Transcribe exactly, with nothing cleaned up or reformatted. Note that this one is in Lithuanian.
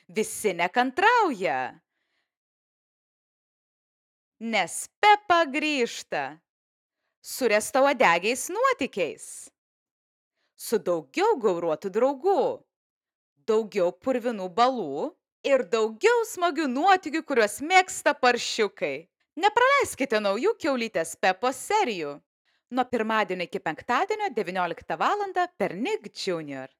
Visi nekantrauja. Nes Pepa grįžta su riestauodegiais nuotykiais, su daugiau gauruotų draugų, daugiau purvinų balų ir daugiau smagių nuotykių, kuriuos mėgsta paršiukai. Nepraleiskite naujų Kiaulytės Pepos serijų. Nuo pirmadienio iki penktadienio devynioliktą valandą per Nick Junior.